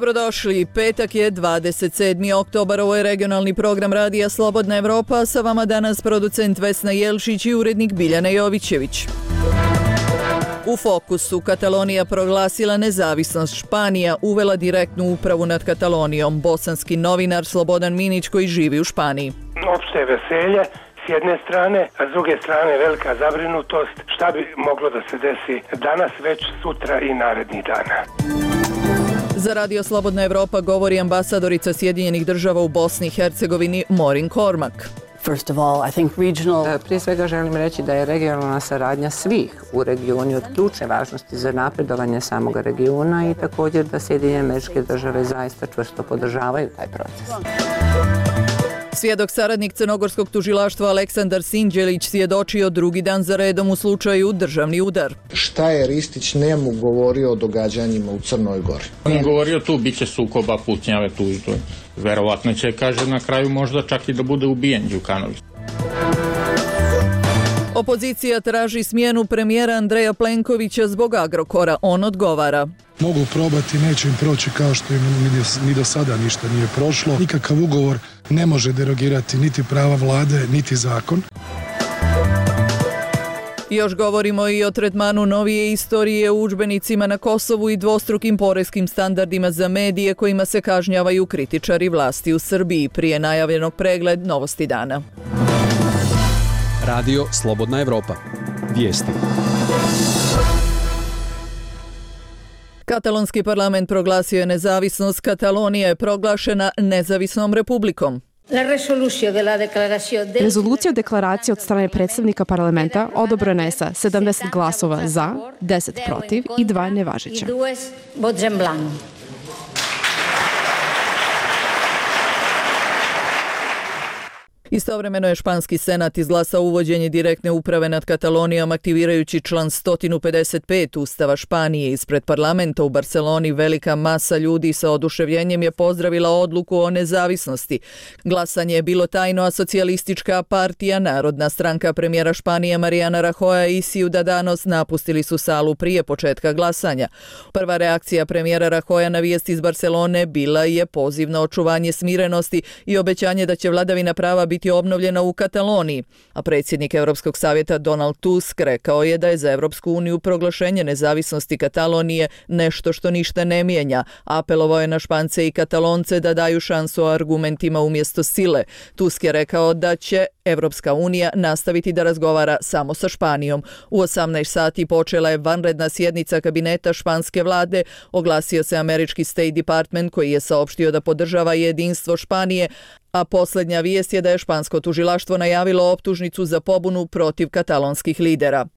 Dobrodošli, petak je 27. oktobar, ovo je regionalni program Radija Slobodna Evropa, sa vama danas producent Vesna Jelšić i urednik Biljana Jovićević. U fokusu Katalonija proglasila nezavisnost, Španija uvela direktnu upravu nad Katalonijom, bosanski novinar Slobodan Minić koji živi u Španiji. Opšte veselje s jedne strane, a s druge strane velika zabrinutost šta bi moglo da se desi danas, već sutra i narednih dana. Za Radio Slobodna Evropa govori ambasadorica Sjedinjenih država u Bosni i Hercegovini Morin Kormak. Prije svega želim reći da je regionalna saradnja svih u regionu od ključne važnosti za napredovanje samog regiona i također da Sjedinjene Američke Države zaista čvrsto podržavaju taj proces. Svjedok saradnik crnogorskog tužilaštva Aleksandar Sinđelić svjedočio drugi dan za redom u slučaju državni udar. Šta je Ristić njemu govorio o događanjima u Crnoj Gori? On je govorio tu biće sukoba, pucnjave tu i tu. Verovatno će, kaže, na kraju možda čak i da bude ubijen Đukanović. Opozicija traži smjenu premijera Andreja Plenkovića zbog Agrokora. On odgovara. Mogu probati, neće im proći kao što im ni do sada ništa nije prošlo. Nikakav ugovor ne može derogirati niti prava vlade, niti zakon. Još govorimo i o tretmanu novije istorije u udžbenicima na Kosovu i dvostrukim poreskim standardima za medije kojima se kažnjavaju kritičari vlasti u Srbiji. Prije najavljenog pregled novosti dana. Radio Slobodna Evropa. Vijesti. Katalonski parlament proglasio je nezavisnost. Katalonija je proglašena nezavisnom republikom. Rezolucija o deklaraciji od strane predstavnika parlamenta odobrena je sa 70 glasova za, 10 protiv i 2 nevažeća. Istovremeno je španski senat izglasao uvođenje direktne uprave nad Katalonijom aktivirajući član 155 Ustava Španije. Ispred parlamenta u Barceloni velika masa ljudi sa oduševljenjem je pozdravila odluku o nezavisnosti. Glasanje je bilo tajno, a socijalistička partija, Narodna stranka premijera Španije Mariana Rajoya i Ciudadanos napustili su salu prije početka glasanja. Prva reakcija premijera Rajoya na vijest iz Barcelone bila je poziv na očuvanje smirenosti i obećanje da će vladavina prava biti obnovljena u Kataloniji, a predsjednik Europskog savjeta Donald Tusk rekao je da je za Europsku uniju proglašenje nezavisnosti Katalonije nešto što ništa ne mijenja. Apelovao je na Špance i Katalonce da daju šansu argumentima umjesto sile. Tusk je rekao da će Europska unija nastaviti da razgovara samo sa Španijom. U 18 sati počela je vanredna sjednica kabineta španske vlade, oglasio se američki State Department koji je saopštio da podržava jedinstvo Španije, a posljednja vijest je da je špansko tužilaštvo najavilo optužnicu za pobunu protiv katalonskih lidera.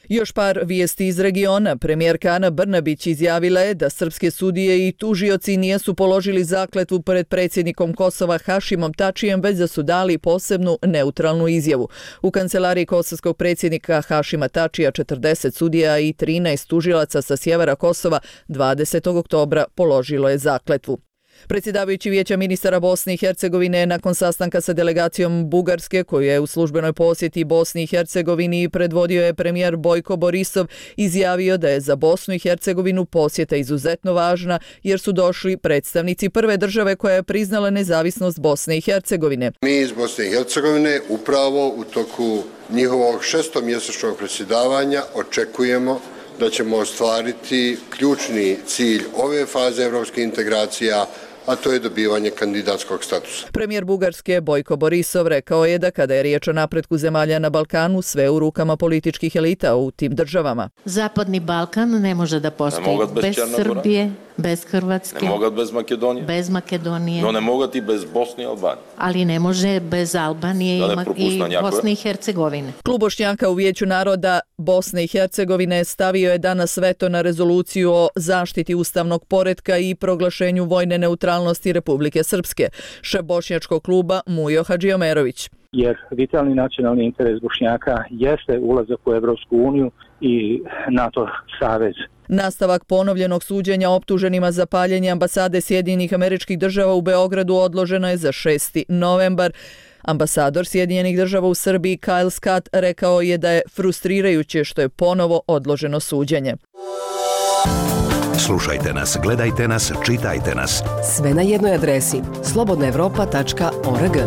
Još par vijesti iz regiona. Premijerka Ana Brnabić izjavila je da srpske sudije i tužioci nisu položili zakletvu pred predsjednikom Kosova Hašimom Tačijem, već da su dali posebnu neutralnu izjavu. U kancelariji kosovskog predsjednika Hašima Tačija 40 sudija i 13 tužilaca sa sjevera Kosova 20. oktobra položilo je zakletvu. Predsjedavajući Vijeća ministara Bosne i Hercegovine nakon sastanka sa delegacijom Bugarske, koju je u službenoj posjeti Bosni i Hercegovini predvodio je premijer Bojko Borisov, izjavio da je za Bosnu i Hercegovinu posjeta izuzetno važna jer su došli predstavnici prve države koja je priznala nezavisnost Bosne i Hercegovine. Mi iz Bosne i Hercegovine upravo u toku njihovog 6-mjesečnog predsjedavanja očekujemo da ćemo ostvariti ključni cilj ove faze evropskih integracija, a to je dobivanje kandidatskog statusa. Premijer Bugarske Bojko Borisov rekao je da kada je riječ o napretku zemalja na Balkanu, sve u rukama političkih elita u tim državama. Zapadni Balkan ne može da postoji bez Srbije, bez Hrvatske, ne mogu bez Makedonije, no ne mogu i bez Bosne i Albanije. Ali ne može bez Albanije i Bosne i Hercegovine. Klub Bošnjaka u Vijeću naroda Bosne i Hercegovine stavio je danas veto na rezoluciju o zaštiti ustavnog poretka i proglašenju vojne neutralnosti Republike Srpske. Šef bošnjačkog kluba Mujo Hadžiomerović. Jer vitalni nacionalni interes Bošnjaka jeste ulazak u Evropsku uniju i NATO savez. Nastavak ponovljenog suđenja optuženima za paljenje ambasade Sjedinjenih Američkih Država u Beogradu odloženo je za 6. novembar. Ambasador Sjedinjenih Država u Srbiji Kyle Scott rekao je da je frustrirajuće što je ponovo odloženo suđenje. Slušajte nas, gledajte nas, čitajte nas. Sve na jednoj adresi slobodnaevropa.org.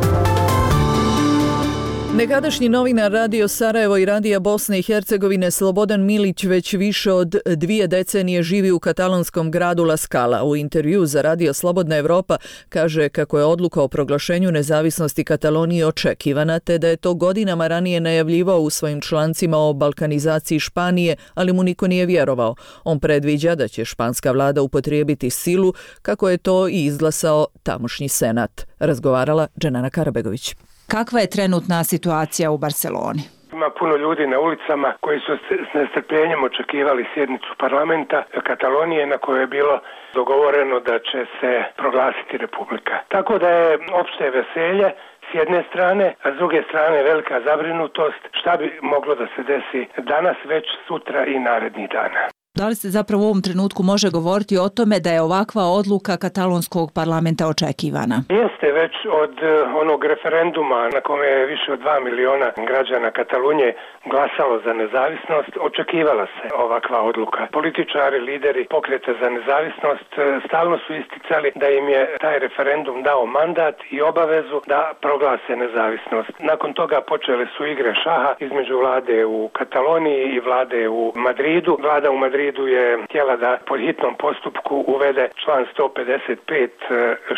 Nekadašnji novinar Radio Sarajevo i Radija Bosne i Hercegovine Slobodan Milić već više od 2 decenije živi u katalonskom gradu La Scala. U intervju za Radio Slobodna Evropa kaže kako je odluka o proglašenju nezavisnosti Katalonije očekivana, te da je to godinama ranije najavljivao u svojim člancima o balkanizaciji Španije, ali mu niko nije vjerovao. On predviđa da će španska vlada upotrijebiti silu, kako je to i izglasao tamošnji senat. Razgovarala Dženana Karabegović. Kakva je trenutna situacija u Barceloni? Ima puno ljudi na ulicama koji su s nestrpljenjem očekivali sjednicu parlamenta Katalonije na kojoj je bilo dogovoreno da će se proglasiti republika. Tako da je opšte veselje s jedne strane, a s druge strane velika zabrinutost šta bi moglo da se desi danas, već sutra i narednih dana. Da li se zapravo u ovom trenutku može govoriti o tome da je ovakva odluka katalonskog parlamenta očekivana? Jeste, već od onog referenduma na kome je više od 2 miliona građana Katalunije glasalo za nezavisnost, očekivala se ovakva odluka. Političari, lideri pokreta za nezavisnost stalno su isticali da im je taj referendum dao mandat i obavezu da proglase nezavisnost. Nakon toga počele su igre šaha između vlade u Kataloniji i vlade u Madridu. Vlada u Madridu je htjela da po hitnom postupku uvede član 155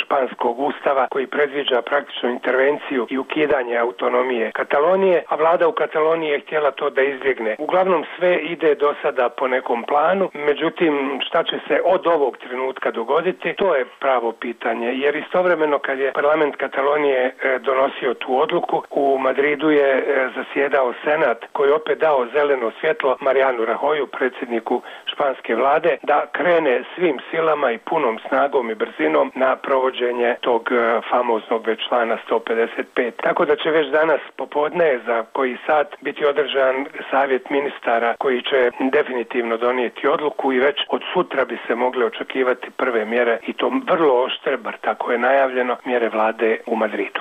španskog ustava koji predviđa praktičnu intervenciju i ukidanje autonomije Katalonije, a vlada u Kataloniji je htjela to da izbjegne. Uglavnom sve ide do sada po nekom planu, međutim šta će se od ovog trenutka dogoditi, to je pravo pitanje, jer istovremeno kad je parlament Katalonije donosio tu odluku, u Madridu je zasjedao senat koji je opet dao zeleno svjetlo Marianu Rajoyu, predsjedniku španske vlade, da krene svim silama i punom snagom i brzinom na provođenje tog famoznog već člana 155. Tako da će već danas popodne za koji sat biti održan savjet ministara koji će definitivno donijeti odluku i već od sutra bi se mogle očekivati prve mjere i to vrlo oštre, bar tako je najavljeno, mjere vlade u Madridu.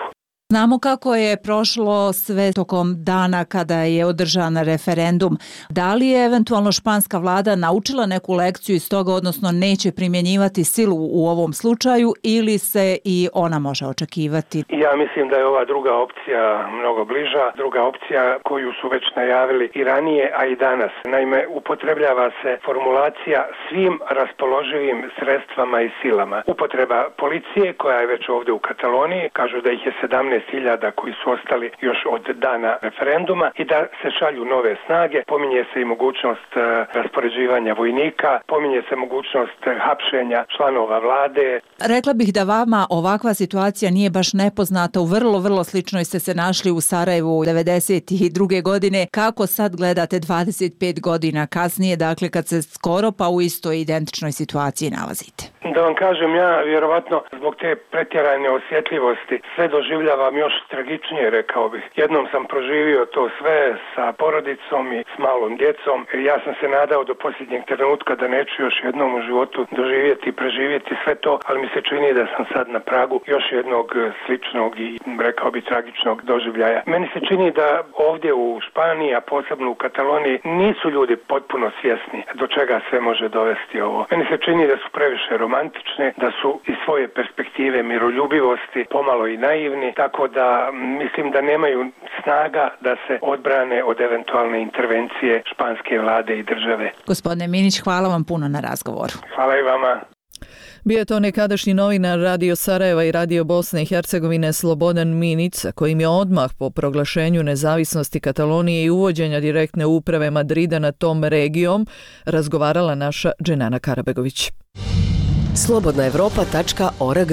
Znamo kako je prošlo sve tokom dana kada je održan referendum. Da li je eventualno španska vlada naučila neku lekciju iz toga, odnosno neće primjenjivati silu u ovom slučaju, ili se i ona može očekivati? Ja mislim da je ova druga opcija mnogo bliža. Druga opcija koju su već najavili i ranije, a i danas. Naime, upotrebljava se formulacija svim raspoloživim sredstvama i silama. Upotreba policije koja je već ovdje u Kataloniji, kažu da ih je 17.000 koji su ostali još od dana referenduma i da se šalju nove snage. Pominje se i mogućnost raspoređivanja vojnika, pominje se mogućnost hapšenja članova vlade. Rekla bih da vama ovakva situacija nije baš nepoznata. U vrlo sličnoj ste se našli u Sarajevu 1992. godine. Kako sad gledate 25 godina kasnije, dakle kad se skoro pa u istoj identičnoj situaciji nalazite? Da vam kažem, ja vjerovatno zbog te pretjerane osjetljivosti sve doživljavam još tragičnije, rekao bih. Jednom sam proživio to sve sa porodicom i s malom djecom. Ja sam se nadao do posljednjeg trenutka da neću još jednom u životu doživjeti i preživjeti sve to, ali mi se čini da sam sad na pragu još jednog sličnog i rekao bi tragičnog doživljaja. Meni se čini da ovdje u Španiji, a posebno u Kataloniji, nisu ljudi potpuno svjesni do čega sve može dovesti ovo. Meni se čini da su previše romantične, da su iz svoje perspektive miroljubivosti pomalo i naivni, tako da mislim da nemaju snaga da se odbrane od eventualne intervencije španske vlade i države. Gospodine Minić, hvala vam puno na razgovoru. Hvala i vama. Bio je to nekadašnji novinar Radio Sarajeva i Radio Bosne i Hercegovine Slobodan Minić, kojim je odmah po proglašenju nezavisnosti Katalonije i uvođenja direktne uprave Madrida na tom regijom razgovarala naša Dženana Karabegović. slobodnaevropa.org.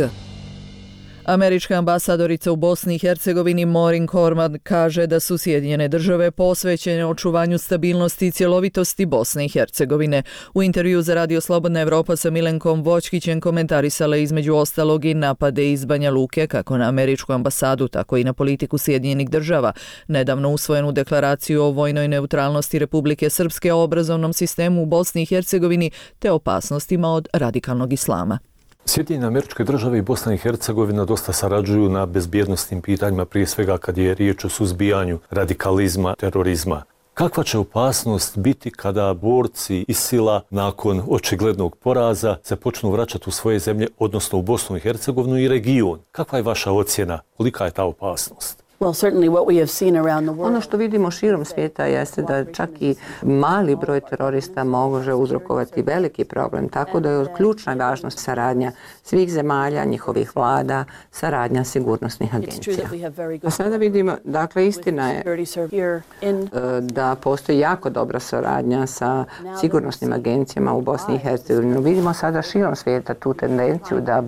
Američka ambasadorica u Bosni i Hercegovini Maureen Corman kaže da su Sjedinjene Države posvećene očuvanju stabilnosti i cjelovitosti Bosne i Hercegovine. U intervju za Radio Slobodna Evropa sa Milenkom Voćkićem komentarisala između ostalog i napade iz Banja Luke kako na američku ambasadu, tako i na politiku Sjedinjenih Država, nedavno usvojenu deklaraciju o vojnoj neutralnosti Republike Srpske o obrazovnom sistemu u Bosni i Hercegovini te opasnostima od radikalnog islama. Sjedinjene Američke Države i Bosna i Hercegovina dosta sarađuju na bezbjednosnim pitanjima, prije svega kad je riječ o suzbijanju radikalizma, terorizma. Kakva će opasnost biti kada borci ISIL-a nakon očiglednog poraza se počnu vraćati u svoje zemlje, odnosno u Bosnu i Hercegovinu i region? Kakva je vaša ocjena? Kolika je ta opasnost? Ono što vidimo širom svijeta jeste da čak i mali broj terorista može uzrokovati veliki problem, tako da je od ključna važnost saradnja svih zemalja, njihovih vlada, saradnja sigurnosnih agencija. A sada vidimo, dakle, istina je da postoji jako dobra saradnja sa sigurnosnim agencijama u Bosni i Hercegovini. Vidimo sada širom svijeta tu tendenciju da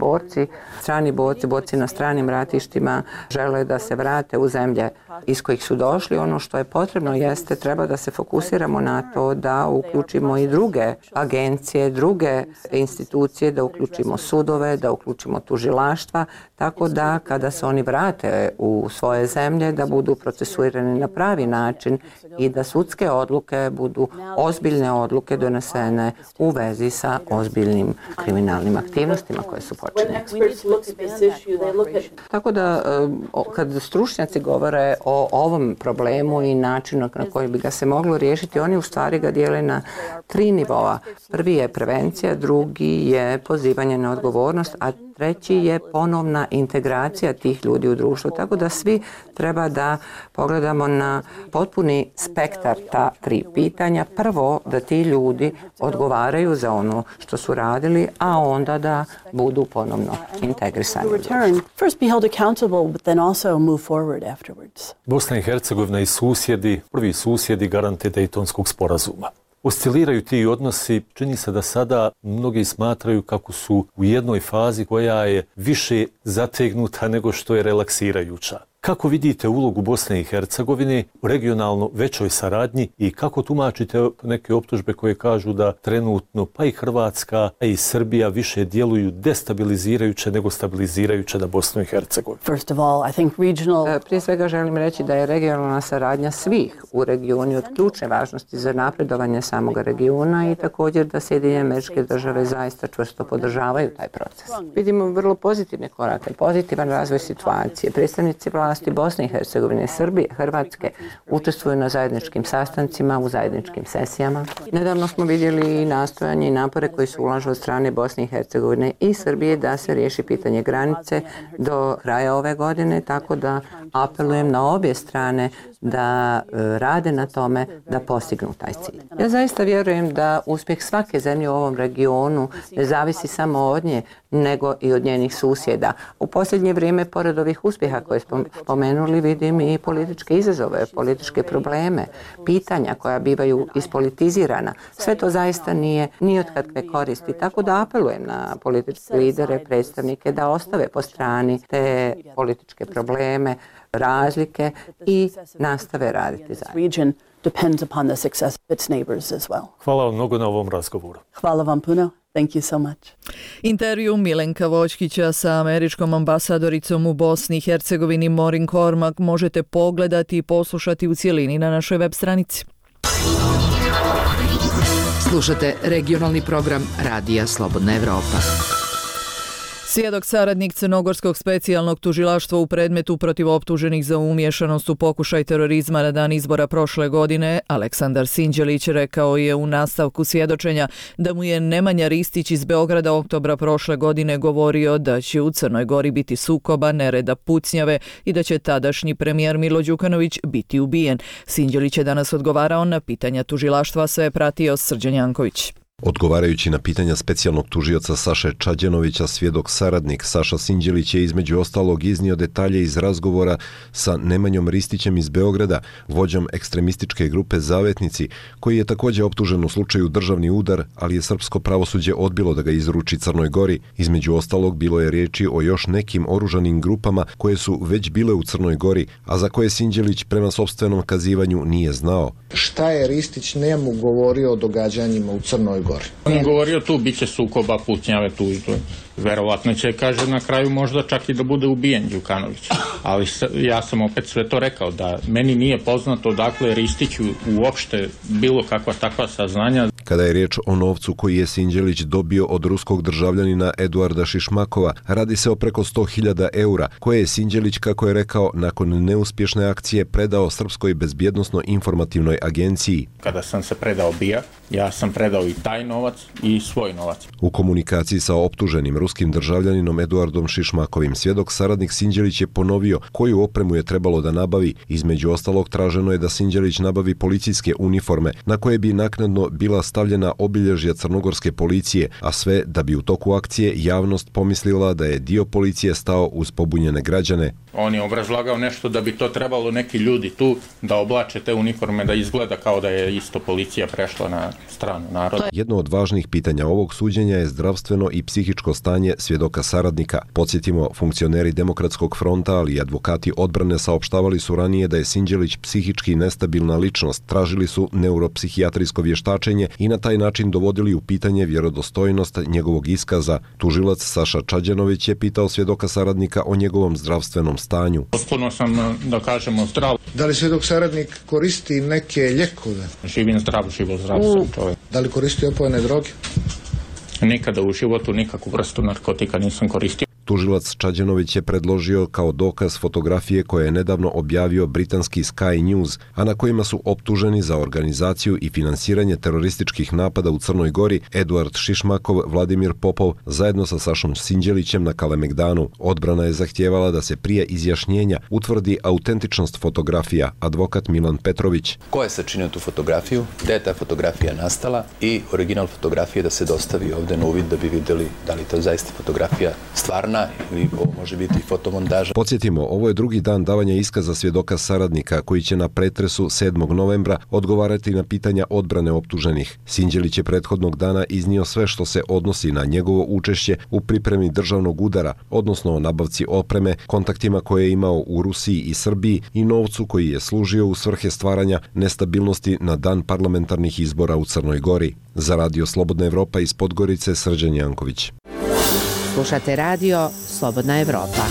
strani borci na stranim ratištima žele da se vrate u zemlje iz kojih su došli. Ono što je potrebno jeste, treba da se fokusiramo na to da uključimo i druge agencije, druge institucije, da uključimo sudove, da uključimo tužilaštva, tako da kada se oni vrate u svoje zemlje da budu procesuirani na pravi način i da sudske odluke budu ozbiljne odluke donesene u vezi sa ozbiljnim kriminalnim aktivnostima koje su počinjene. Tako da kad stručnjaci govore o ovom problemu i načinu na koji bi ga se moglo riješiti, oni u stvari ga dijele na 3 nivoa. Prvi je prevencija, drugi je pozivanje na odgovornost, a treći je ponovna integracija tih ljudi u društvu. Tako da svi treba da pogledamo na potpuni spektar ta 3 pitanja. Prvo, da ti ljudi odgovaraju za ono što su radili, a onda da budu ponovno integrisani. Bosna i Hercegovina i susjedi, prvi susjedi garante Dejtonskog sporazuma. Osciliraju ti odnosi, čini se da sada mnogi smatraju kako su u jednoj fazi koja je više zategnuta nego što je relaksirajuća. Kako vidite ulogu Bosne i Hercegovine u regionalno većoj saradnji i kako tumačite neke optužbe koje kažu da trenutno pa i Hrvatska i Srbija više djeluju destabilizirajuće nego stabilizirajuće na Bosnu i Hercegovinu? Prije svega želim reći da je regionalna saradnja svih u regionu od ključne važnosti za napredovanje samog regiona i također da Sjedinjene Američke Države zaista čvrsto podržavaju taj proces. Vidimo vrlo pozitivne korake, pozitivan razvoj situacije. Predstavnici vlasti Bosne i Hercegovine, Srbije, Hrvatske učestvuju na zajedničkim sastancima, u zajedničkim sesijama. Nedavno smo vidjeli i nastojanje i napore koji se ulažu od strane Bosne i Hercegovine i Srbije da se riješi pitanje granice do kraja ove godine, tako da apelujem na obje strane da rade na tome da postignu taj cilj. Ja zaista vjerujem da uspjeh svake zemlje u ovom regionu ne zavisi samo od nje, nego i od njenih susjeda. U posljednje vrijeme, pored ovih uspjeha koje smo spomenuli, vidim i političke izazove, političke probleme, pitanja koja bivaju ispolitizirana. Sve to zaista nije ni od kakve koristi. Tako da apelujem na političke lidere, predstavnike da ostave po strani te političke probleme, razlike i nastave raditi zajedno. Hvala vam mnogo na ovom razgovoru. Hvala vam puno. Thank you so much. Intervju Milenka Voćkića sa američkom ambasadoricom u Bosni i Hercegovini Maureen Cormack možete pogledati i poslušati u cjelini na našoj web stranici. Slušate regionalni program Radija Slobodna Evropa. Svjedok saradnik Crnogorskog specijalnog tužilaštva u predmetu protiv optuženih za umiješanost u pokušaj terorizma na dan izbora prošle godine, Aleksandar Sinđelić, rekao je u nastavku svjedočenja da mu je Nemanja Ristić iz Beograda oktobra prošle godine govorio da će u Crnoj Gori biti sukoba, nereda, pucnjave i da će tadašnji premijer Milo Đukanović biti ubijen. Sinđelić je danas odgovarao na pitanja tužilaštva, sve je pratio Srđan Janković. Odgovarajući na pitanja specijalnog tužioca Saše Čađanovića, svjedok saradnik Saša Sinđelić je između ostalog iznio detalje iz razgovora sa Nemanjom Ristićem iz Beograda, vođom ekstremističke grupe Zavetnici, koji je također optužen u slučaju državni udar, ali je srpsko pravosuđe odbilo da ga izruči Crnoj Gori. Između ostalog bilo je riječi o još nekim oružanim grupama koje su već bile u Crnoj Gori, a za koje Sinđelić prema sopstvenom kazivanju nije znao. Šta je Ristić njemu govorio o događanjima u Crnoj Gori? On je govorio tu biće sukoba, pucnjave, tužbe. Verovatno će, kaže, na kraju možda čak i da bude ubijen Đukanović. Ali ja sam opet sve to rekao, da meni nije poznato odakle Ristiću uopšte bilo kakva takva saznanja. Kada je riječ o novcu koji je Sinđelić dobio od ruskog državljanina Eduarda Šišmakova, radi se o preko 100.000 eura, koje je Sinđelić, kako je rekao, nakon neuspješne akcije predao Srpskoj bezbjednosno-informativnoj agenciji. Kada sam se predao BIA, ja sam predao i taj novac i svoj novac. U komunikaciji sa optuženim ruskim državljaninom Eduardom Šišmakovim, svjedok saradnik Sinđelić je ponovio koju opremu je trebalo da nabavi. Između ostalog, traženo je da Sinđelić nabavi policijske uniforme, na koje bi naknadno bila stavljena obilježja crnogorske policije, a sve da bi u toku akcije javnost pomislila da je dio policije stao uz pobunjene građane. On je obrazlagao nešto da bi to trebalo neki ljudi tu da oblače te uniforme, da izgleda kao da je isto policija prešla na stranu naroda. Jedno od važnih pitanja ovog suđenja je zdravstveno i psihičko stanje svjedoka saradnika. Podsjetimo, funkcioneri Demokratskog fronta, ali i advokati odbrane saopštavali su ranije da je Sinđelić psihički nestabilna ličnost, tražili su neuropsihijatrijsko vještačenje i na taj način dovodili u pitanje vjerodostojnost njegovog iskaza. Tužilac Saša Čađenović je pitao svjedoka saradnika o njegovom zdravstvenom stanju. Potpuno sam, da kažemo, zdrav. Da li svjedok saradnik koristi neke ljekove? Živim zdrav sam čovjek. Da li koristi opojne droge? Nikada u životu nikakvu vrstu narkotika nisam koristio. Tužilac Čađenović je predložio kao dokaz fotografije koje je nedavno objavio britanski Sky News, a na kojima su optuženi za organizaciju i finansiranje terorističkih napada u Crnoj Gori Eduard Šišmakov, Vladimir Popov, zajedno sa Sašom Sinđelićem na Kalemegdanu. Odbrana je zahtijevala da se prije izjašnjenja utvrdi autentičnost fotografija, advokat Milan Petrović. Ko je sačinio tu fotografiju, gde je ta fotografija nastala i original fotografije da se dostavi ovde na uvid da bi vidjeli da li to zaista fotografija stvarna ili ovo može biti fotomontaža. Podsjetimo, ovo je drugi dan davanja iskaza svjedoka saradnika koji će na pretresu 7. novembra odgovarati na pitanja odbrane optuženih. Sinđelić je prethodnog dana iznio sve što se odnosi na njegovo učešće u pripremi državnog udara, odnosno o nabavci opreme, kontaktima koje je imao u Rusiji i Srbiji i novcu koji je služio u svrhe stvaranja nestabilnosti na dan parlamentarnih izbora u Crnoj Gori. Za Radio Slobodna Evropa iz Podgorice, Srđan Janković. Slušate radio Slobodna Evropa.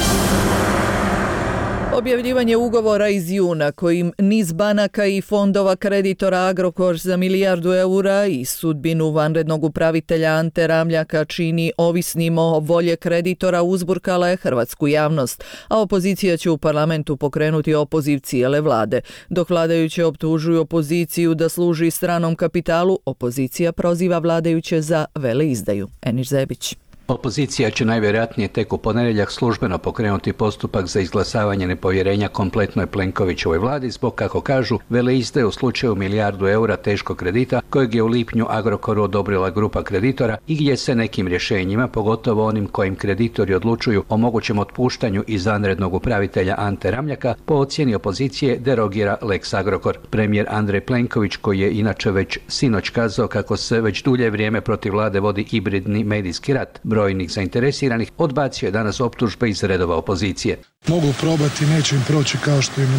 Objavljivanje ugovora iz juna kojim niz banaka i fondova kreditora Agrokor za milijardu eura i sudbinu vanrednog upravitelja Ante Ramljaka čini ovisnim o volje kreditora uzburkala je hrvatsku javnost, a opozicija će u parlamentu pokrenuti opoziv cijele vlade. Dok vladajuće optužuju opoziciju da služi stranom kapitalu, opozicija proziva vladajuće za veleizdaju. Eniš Zebić. Opozicija će najvjerojatnije tek u ponedjeljak službeno pokrenuti postupak za izglasavanje nepovjerenja kompletnoj Plenkovićevoj vladi zbog, kako kažu, veleizdaje u slučaju milijardu eura teškog kredita kojeg je u lipnju Agrokoru odobrila grupa kreditora i gdje se nekim rješenjima, pogotovo onim kojim kreditori odlučuju o mogućem otpuštanju izvanrednog upravitelja Ante Ramljaka, po ocjeni opozicije derogira Lex Agrokor. Premijer Andrej Plenković, koji je inače već sinoć kazao kako se već dulje vrijeme protiv vlade vodi hibridni medijski rat brojnih zainteresiranih, odbacio je danas optužbe iz redova opozicije. Mogu probati, neće im proći kao što im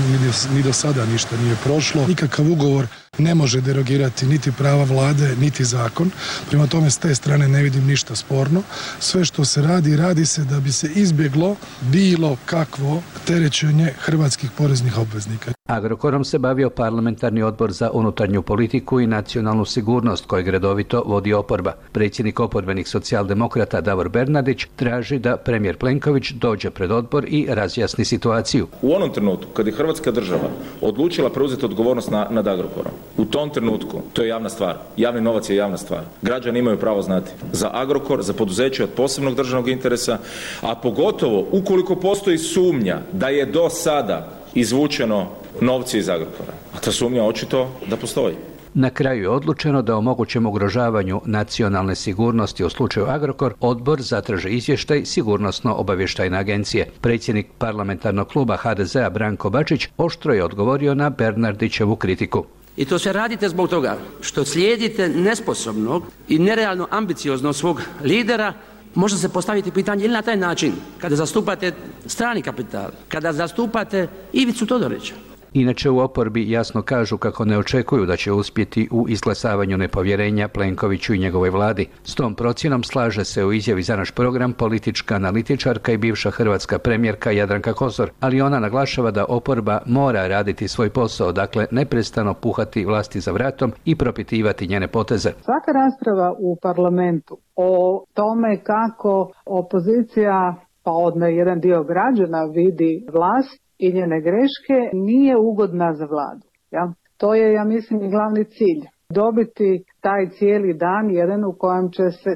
ni do sada ništa nije prošlo. Nikakav ugovor ne može derogirati niti prava vlade, niti zakon. Prema tome, s te strane ne vidim ništa sporno. Sve što se radi, radi se da bi se izbjeglo bilo kakvo terećenje hrvatskih poreznih obveznika. Agrokorom se bavio parlamentarni odbor za unutarnju politiku i nacionalnu sigurnost kojeg redovito vodi oporba. Predsjednik oporbenih socijaldemokrata Davor Bernardić traži da premijer Plenković dođe pred odbor i razjasni situaciju. U onom trenutku kad je Hrvatska država odlučila preuzeti odgovornost nad Agrokorom, u tom trenutku to je javna stvar. Javni novac je javna stvar. Građani imaju pravo znati za Agrokor, za poduzeće od posebnog državnog interesa, a pogotovo ukoliko postoji sumnja da je do sada izvučeno novci iz Agrokora. A ta sumnja očito da postoji. Na kraju je odlučeno da o mogućem ugrožavanju nacionalne sigurnosti u slučaju Agrokor odbor zatraži izvještaj Sigurnosno-obavještajne agencije. Predsjednik parlamentarnog kluba HDZ-a Branko Bačić oštro je odgovorio na Bernardićevu kritiku. I to sve radite zbog toga što slijedite nesposobnog i nerealno ambicioznog svog lidera. Može se postaviti pitanje ili na taj način kada zastupate strani kapital, kada zastupate Ivicu Todorića, Inače u oporbi jasno kažu kako ne očekuju da će uspjeti u izglasavanju nepovjerenja Plenkoviću i njegovoj vladi. S tom procjenom slaže se u izjavi za naš program politička analitičarka i bivša hrvatska premijerka Jadranka Kosor, ali ona naglašava da oporba mora raditi svoj posao, dakle neprestano puhati vlasti za vratom i propitivati njene poteze. Svaka rasprava u parlamentu o tome kako opozicija, pa odnosno jedan dio građana vidi vlast i njene greške, nije ugodna za vladu. Ja? To je, ja mislim, i glavni cilj. Dobiti taj cijeli dan jedan u kojem će se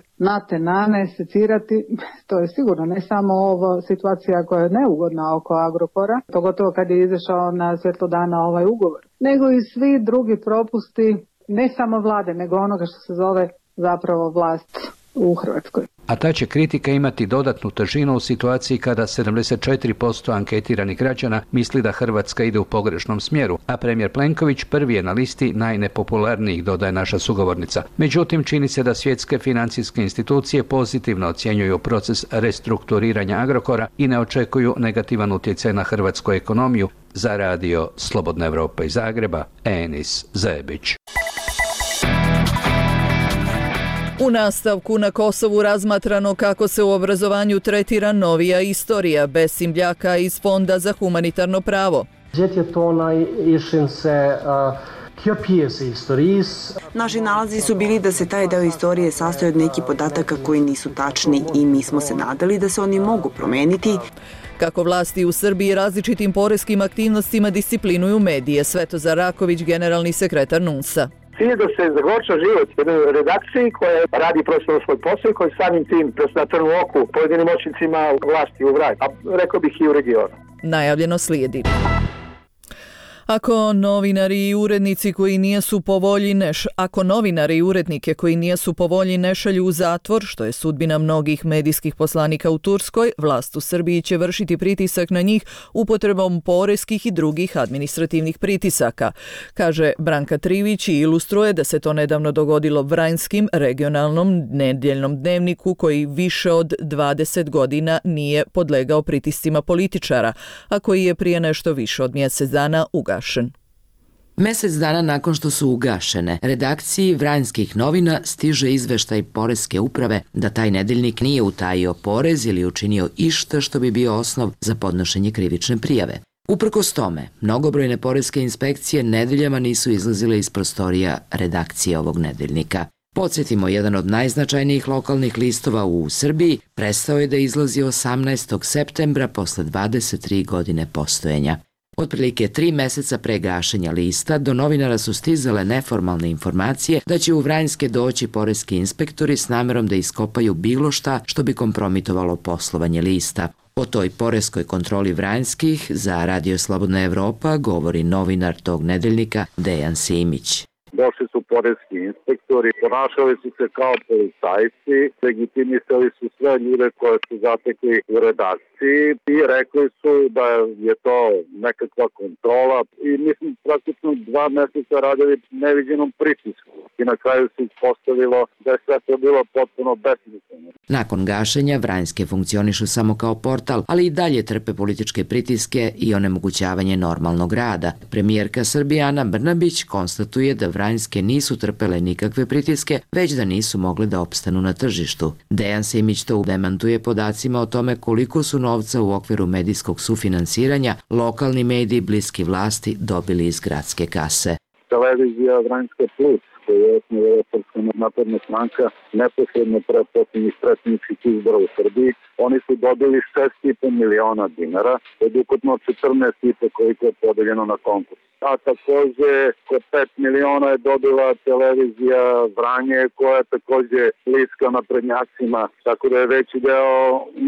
nane secirati, to je sigurno ne samo ova situacija koja je neugodna oko Agrokora, pogotovo kad je izašao na svjetlo dana ovaj ugovor, nego i svi drugi propusti, ne samo vlade, nego onoga što se zove zapravo vlast u Hrvatskoj. A ta će kritika imati dodatnu težinu u situaciji kada 74% anketiranih građana misli da Hrvatska ide u pogrešnom smjeru, a premijer Plenković prvi je na listi najnepopularnijih, dodaje naša sugovornica. Međutim, čini se da svjetske financijske institucije pozitivno ocjenjuju proces restrukturiranja Agrokora i ne očekuju negativan utjecaj na hrvatsku ekonomiju. Za radio Slobodna Evropa iz Zagreba, Enis Zebić. U nastavku na Kosovu razmatrano kako se u obrazovanju tretira novija istorija bez Simbljaka iz Fonda za humanitarno pravo. Naši nalazi su bili da se taj deo istorije sastoji od nekih podataka koji nisu tačni i mi smo se nadali da se oni mogu promeniti. Kako vlasti u Srbiji različitim poreskim aktivnostima disciplinuju medije, Svetozar Raković, generalni sekretar NUNS-a. Cilj je da se zagorča život jednoj redakciji koja radi profesionalno svoj posao i koji samim tim da se na trnu oku pojedinim moćnicima vlasti u vraj, a rekao bih i u regionu. Najavljeno slijedi. Ako novinari i urednici koji nijesu po volji ako novinari i urednike koji nijesu po volji ne šalju u zatvor, što je sudbina mnogih medijskih poslanika u Turskoj, vlast u Srbiji će vršiti pritisak na njih upotrebom poreskih i drugih administrativnih pritisaka. Kaže Branka Trivić i ilustruje da se to nedavno dogodilo Vranjskim regionalnom nedjeljnom dnevniku koji više od 20 godina nije podlegao pritiscima političara, a koji je prije nešto više od mjesec dana ugašen. Mjesec dana nakon što su ugašene, redakciji Vranjskih novina stiže izveštaj Poreske uprave da taj nedeljnik nije utajio porez ili učinio išta što bi bio osnov za podnošenje krivične prijave. Uprkos tome, mnogobrojne poreske inspekcije nedeljama nisu izlazile iz prostorija redakcije ovog nedeljnika. Podsjetimo, jedan od najznačajnijih lokalnih listova u Srbiji prestao je da izlazi 18. septembra posle 23 godine postojanja. Otprilike 3 mjeseca pre gašenja lista do novinara su stizale neformalne informacije da će u Vranjske doći poreski inspektori s namerom da iskopaju bilo šta što bi kompromitovalo poslovanje lista. O toj poreskoj kontroli Vranjskih za Radio Slobodna Evropa govori novinar tog nedeljnika Dejan Simić. Došli su poreski inspektori, ponašali su se kao policajci, legitimisali su sve ljude koje su zatekli u redakciji i rekli su da je to nekakva kontrola i mislim praktično 2 mjeseca radili neviđenom pritisku i na kraju se ispostavilo da je sve to bilo potpuno besmisleno. Nakon gašenja Vranjske funkcionišu samo kao portal, ali i dalje trpe političke pritiske i onemogućavanje normalnog rada. Premijerka Srbije Ana Brnabić konstatuje da Vranjske nisu trpele nikakve pritiske, već da nisu mogle da opstanu na tržištu. Dejan Simić to demantuje podacima o tome koliko su novca u okviru medijskog sufinansiranja lokalni mediji bliski vlasti dobili iz gradske kase. Televizija Vranjska Plus, koju je osnovala Srpska napredna stranka neposredno pre posljednjih predsjedničkih izbora u Srbiji, oni su dobili 6,5 miliona dinara od ukupno 14,5 koliko je podeljeno na konkurs. A također oko 5 miliona je dobila televizija Vranje koja je također bliska naprednjacima, tako da je veći deo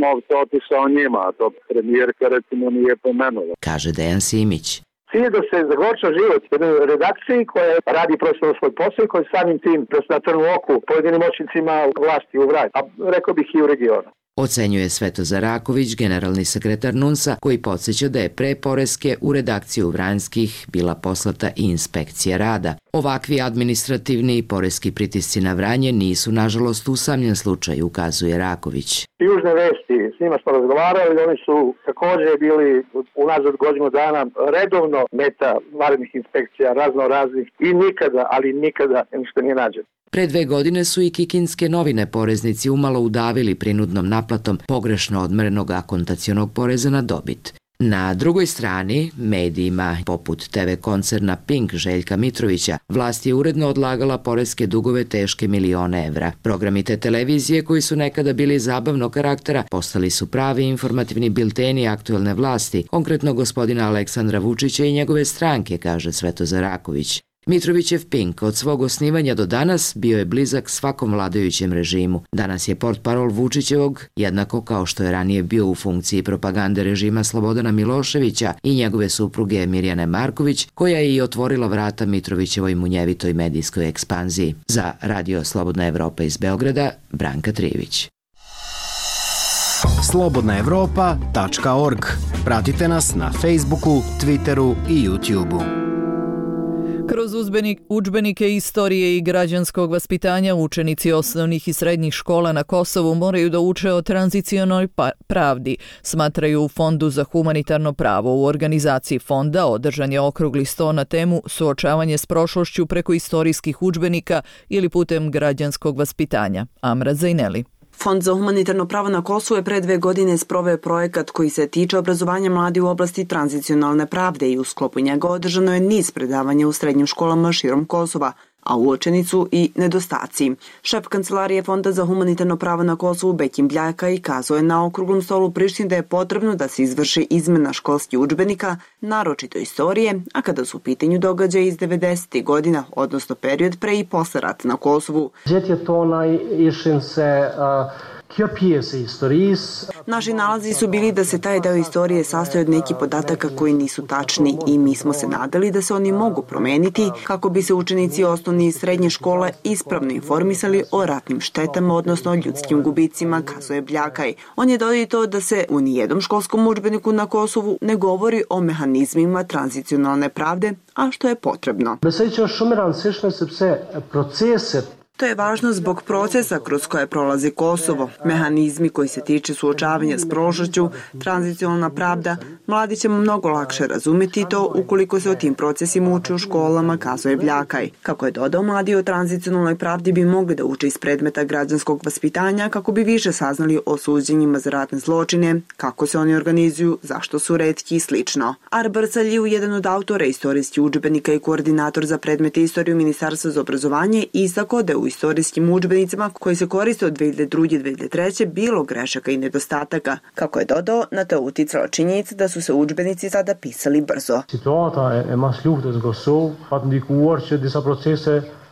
novca otišao njima, a to premijerka recimo nije pomenula. Kaže Dejan Simić. Cilj je da se zagorča život jednoj redakciji koja radi profesionalno svoj posao i koji samim tim da se na trnu oku pojedinim moćnicima vlasti u vraj, a rekao bih i u regionu. Ocenjuje Svetozar Raković, generalni sekretar NUNS-a, koji podsjeća da je pre poreske u redakciju Vranjskih bila poslata i inspekcija rada. Ovakvi administrativni i poreski pritisci na Vranje nisu, nažalost, usamljen slučaj, ukazuje Raković. Južne vesti, s njima smo razgovarali, oni su također bili unazad godinu dana redovno meta vanrednih inspekcija, raznih i nikada ništa nije nađeno. Pre 2 godine su i kikinske novine poreznici umalo udavili prinudnom naplatom pogrešno odmerenog akontacionog poreza na dobit. Na drugoj strani, medijima poput TV koncerna Pink Željka Mitrovića, vlast je uredno odlagala poreske dugove teške milione evra. Programi te televizije, koji su nekada bili zabavnog karaktera, postali su pravi informativni bilteni aktuelne vlasti, konkretno gospodina Aleksandra Vučića i njegove stranke, kaže Svetozar Raković. Mitrovićev Pink od svog osnivanja do danas bio je blizak svakom vladajućem režimu. Danas je portparol Vučićevog, jednako kao što je ranije bio u funkciji propagande režima Slobodana Miloševića i njegove supruge Mirjane Marković, koja je i otvorila vrata Mitrovićevoj munjevitoj medijskoj ekspanziji. Za Radio Slobodna Evropa iz Beograda, Branka Trijević. slobodnaevropa.org. Pratite nas na Facebooku, Twitteru i YouTubeu. Kroz udžbenike istorije i građanskog vaspitanja učenici osnovnih i srednjih škola na Kosovu moraju da uče o tranzicionoj pravdi, smatraju u Fondu za humanitarno pravo. U organizaciji fonda održan je okrugli sto na temu suočavanje s prošlošću preko istorijskih udžbenika ili putem građanskog vaspitanja. Amra Zajneli. Fond za humanitarno pravo na Kosovu je pre 2 godine sproveo projekat koji se tiče obrazovanja mladih u oblasti tranzicionalne pravde i u sklopu njega održano je niz predavanja u srednjim školama širom Kosova, a uočeni su i nedostaci. Šef kancelarije Fonda za humanitarno pravo na Kosovu Bekim Bljaka i kazao je na okruglom stolu u Prištini da je potrebno da se izvrši izmena školskih udžbenika, naročito istorije, a kada su u pitanju događaji iz 90. godina, odnosno period pre i posle rata na Kosovu. Naši nalazi su bili da se taj deo istorije sastoji od nekih podataka koji nisu tačni i mi smo se nadali da se oni mogu promeniti kako bi se učenici osnovne i srednje škole ispravno informisali o ratnim štetama, odnosno o ljudskim gubicima, kazuje Bljakaj. On je dodao i to da se u nijednom školskom udžbeniku na Kosovu ne govori o mehanizmima tranzicionalne pravde, a što je potrebno. To je važno zbog procesa kroz koje prolazi Kosovo, mehanizmi koji se tiče suočavanja s prošlošću, tranzicionalna pravda. Mladi ćemo mnogo lakše razumjeti to ukoliko se o tim procesima uči u školama, kazuje Bljakaj. Kako je dodao, mladi o tranzicionalnoj pravdi bi mogli da uče iz predmeta građanskog vaspitanja kako bi više saznali o suđenjima za ratne zločine, kako se oni organizuju, zašto su retki i slično. Arbar Saljiv, jedan od autora istorijskih udžbenika i koordinator za predmete istoriju Ministarstva za obrazovanje, istakao da u istorijskim udžbenicima koji se koriste od 2002-2003 bilo grešaka i nedostataka. Kako je dodao, na to uticala činjenica da su se udžbenici sada pisali brzo.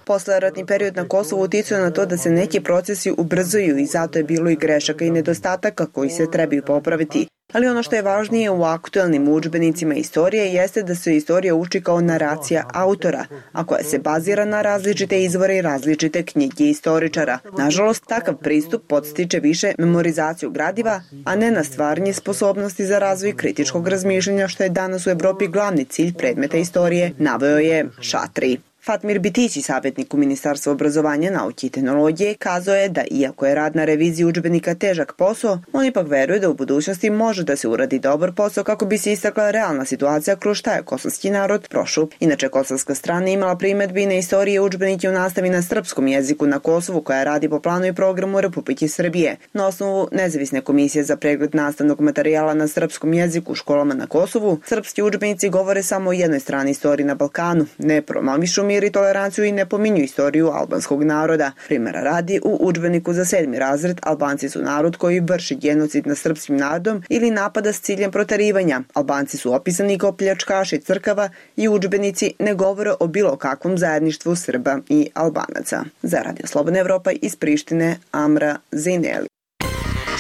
Posleratni period na Kosovu uticao na to da se neki procesi ubrzaju i zato je bilo i grešaka i nedostataka koji se trebaju popraviti. Ali ono što je važnije u aktuelnim udžbenicima istorije jeste da se istorija uči kao naracija autora, a koja se bazira na različite izvore i različite knjige istoričara. Nažalost, takav pristup podstiče više memorizaciju gradiva, a ne na stvaranje sposobnosti za razvoj kritičkog razmišljanja, što je danas u Evropi glavni cilj predmeta istorije, naveo je Šatri. Fatmir Bitići, savjetnik u Ministarstvu obrazovanja, nauke i tehnologije, kazao je da iako je rad na reviziji udžbenika težak posao, on ipak veruje da u budućnosti može da se uradi dobar posao kako bi se istakla realna situacija kroz šta je kosovski narod prošao. Inače, kosovska strana imala primedbi na istorije udžbenike u nastavi na srpskom jeziku na Kosovu koja radi po planu i programu Republike Srbije. Na osnovu nezavisne komisije za pregled nastavnog materijala na srpskom jeziku u školama na Kosovu, srpski udžbenici govore samo o jednoj strani istorije na Balkanu, ne promovišu mir i toleranciju i ne pominju istoriju albanskog naroda. Primjera radi, u udžbeniku za 7. razred Albanci su narod koji vrši genocid nad srpskim narodom ili napada s ciljem proterivanja. Albanci su opisani kao pljačkaši crkava i udžbenici ne govore o bilo kakvom zajedništvu Srba i Albanaca. Za Radio Slobodna Evropa iz Prištine, Amra Zajneli.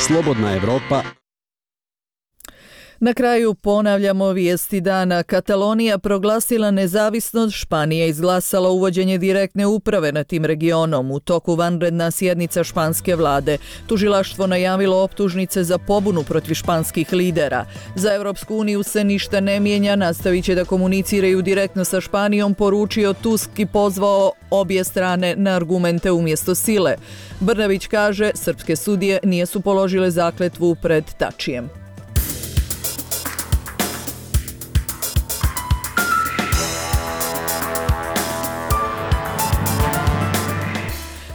Slobodna Evropa. Na kraju ponavljamo vijesti dana. Katalonija proglasila nezavisnost, Španija izglasala uvođenje direktne uprave nad tim regionom. U toku vanredna sjednica španske vlade. Tužilaštvo najavilo optužnice za pobunu protiv španskih lidera. Za Europsku uniju se ništa ne mijenja, nastavit će da komuniciraju direktno sa Španijom, poručio Tusk i pozvao obje strane na argumente umjesto sile. Brnabić kaže, srpske sudije nisu položile zakletvu pred Tačijem.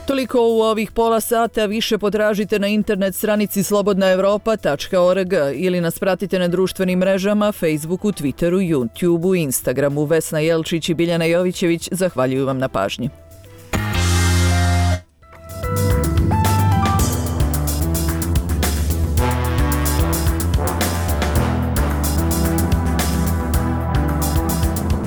Toliko u ovih pola sata, više potražite na internet stranici slobodnaevropa.org ili nas pratite na društvenim mrežama, Facebooku, Twitteru, YouTubeu, Instagramu. Vesna Jelčić i Biljana Jovićević zahvaljuju vam na pažnji.